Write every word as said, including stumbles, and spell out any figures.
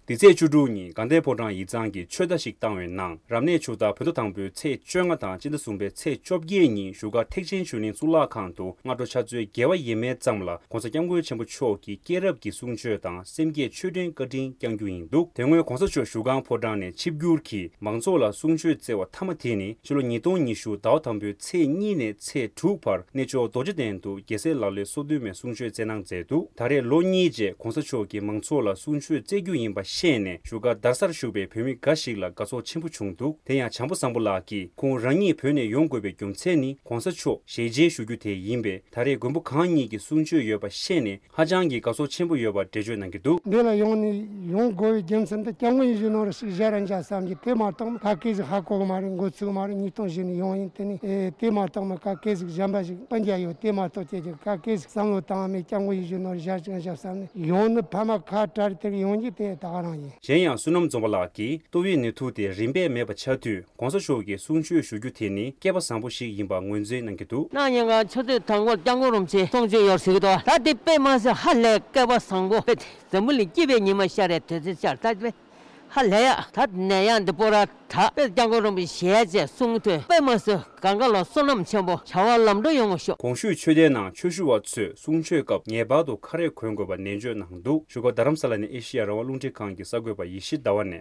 འདི་ཚེས་བཅུ་དྲུག་ཉིན་དགའ་ལྡན་ཕོ་བྲང་ཡིག་ཚང་གིས་ཆོད་བརྡ་ཞིག་བཏང་བའི་ནང་། རབ་གནས་ཆུ་སྟག་བོད་ཟླ་དང་པོའི་ཚེས་བཅོ་ལྔ་དང་སྤྱི་ཟླ་གསུམ་པའི་ཚེས་བཅོ་བརྒྱད་ཉིན་བཞུགས་སྒར་ཐེག་ཆེན་ཆོས་གླིང་གཙུག་ལག་ཁང་དུ་སྔ་དྲོ་ཕྱག་ཚོད་བརྒྱད་པ་ཡས་མས་ཙམ་ལ་༸གོང་ས་༸སྐྱབས་མགོན་ཆེན་པོ་མཆོག་གིས་སྐྱེས་རབས་ཀྱི་གསུང་ཆོས་དང་སེམས་བསྐྱེད་ཆོས་འབྲེལ་བཀའ་དྲིན་བསྐྱང་རྒྱུ་ཡིན་འདུག་དེ་སྔོན་༸གོང་ས་མཆོག་བཞུགས་ཁང་ཕོ་བྲང་ནས་ཆིབས་བསྒྱུར་གྱིས་མང་ཚོགས་ལ་གསུང་ཆོས་སྩལ་བ་མཐའ་མ་དེ་ནི་ཕྱི་ལོ་ཉིས་སྟོང་ཉི་ཤུ་ཟླ་བ་དང་པོའི་ཚེས་གཉིས་ནས་ཚེས་དྲུག་བར་གནས་མཆོག་རྡོ་རྗེ་གདན་དུ་རྒྱལ་སྲས་ལག་ལེན་སོ་བདུན་མའི་གསུང་ཆོས་སྩལ་གནང་མཛད་འདུག་ད་རེས་ལོ་གཉིས་རྗེས་༸གོང་ས་མཆོག་གིས་མང་ཚོགས་ལ་གསུང་ཆོས་སྩལ་རྒྱུ་ཡིན་པ་ཤེས་ནས་བཞུགས་སྒར་རྡ་སར་བཞུགས་པའི་བོད་མི་འགའ་ཞིག་ལ་དགའ་ཚོར་ཆེན་པོ་བྱུང་འདུག་དེ་ཡང་བྱམས་པ་བཟང་པོ་ལགས་ཀྱིས་ཁོང་རང་ཉིད་བོད་ནས་ཡོང་དགོས་པའི་རྒྱུ་མཚན་ནི་༸གོང་ས་མཆོག་ཞལ་མཇལ་ཞུ་རྒྱུ་དེ་ཡིན་པས། ད་རེས་མགོན་པོ་གང་ཉིད་ཀྱི་གསུང་ཆོས་ཡོད་པ་ཤེས་ནས་ཧ་ཅང་གི་དགའ་ཚོར་ཆེན་པོ་ཡོད་པ་འགྲེལ་བརྗོད་གནང་གི་འདུག་འདི་ལ་ཡོང་ནས་ཡོང་དགོས་པའི་རྒྱུ་མཚན་དེ་སྐྱབས་མགོན་ཡིད་བཞིན་ནོར་བུ་ཞིག་མཇལ་ར་མཇལ་བསམ་གྱི། དེ་མ་གཏོགས་ད་གེ་ཞིག་ཧ་གོ་གི་མ་རེད། འགོ་ཚུགས་མ་རེད། ཉིས་སྟོང་བཞི་ནས་ཡོང་ཡིན། དེ་ནས་ཨེ་དེ་མ་གཏོགས་མི་ག་གེ་ཞིག་གཞན་པ་ཞིག་སྤུན་ཀྱག་ཡོད། དེ་མ་གཏོགས་ཁྱེད་ཀྱི་ག་གེ་ཞིག་བསམ་བློ་བཏང་བ་མེད། སྐྱབས་མགོན་ཡིད་བཞིན་ནོར་བུ་མཇལ་ཅིག་མཇལ་བསམ་ནས་ཡོང་ནི་ཕ་མ་ཁ་བྲལ་དེར་ཡོང་རྒྱུ་དེ་ད་ག་རང་ཡིན། གཞན་ཡང་བསོད་ནམས་འཛོམས་པ་ལགས་ཀྱིས་ཏོག་དབྱིབས་ནད་དུག་དེ་རིམ་པས་མེད་པ་ཆགས་དུས་༸གོང་ས་མཆོག་གིས་གསུང་ཆོས་ཞུ་རྒྱུ་དེ་ནི་སྐལ་པ་བཟང་པོ་ཞིག་ཡིན་པ་ངོས་འཛིན་གནང་གི་འདུག་གནངས་ཉིན་ང་ཆུ་ཚོད་དང་པོར་སྐྱབས་མགོན་རིན་པོ་ཆེ་གསུང་ཆོས་ཡོད་ཟེར་གི་འདུག་ད་དེ་དཔེ་མ་སྲིད་ཧ་ལས་སྐལ་པ་བཟང་པོ། དཔེ་འཛམ་བུ་གླིང་སྐྱིད་པའི་ཉི་མ་ཤར་རེད། དེ་ཚེ་ཤར་ད་དཔེ་ཧ་ལས་ཡ། ད་ནད་ཡག་འདི་པོ་ར་ད་དཔེ་སྐྱབས་མགོན་རིན་པོ་ཆེ་ཞལ་མཇལ་གསུང་ཐོས་དཔེ་མ་སྲིད་གང་ག་ལ་བསོད་ནམས་ཆེན་པོ་བྱ་བ་ལམ་འགྲོ་ཡོང་བ་ཤོག་གོང་ཞུས་ཆོས་སྡེའི་ནང་ཆོས་ཞུ་བ་ཚོས་གསུང་ཆོས་སྐབས་ངེས་པར་དུ་ཁ་རས་གོན་དགོས་པ་ནན་བརྗོད་གནང་འདུག་བཞུགས་སྒར་རྡ་རམ་ས་ལ་ནས་ཨེ་ཤི་ཡ་རང་དབང་རླུང་འཕྲིན་ཁང་གི་གསར་འགོད་པ་ཡེ་ཤེས་ཟླ་བ་ནས།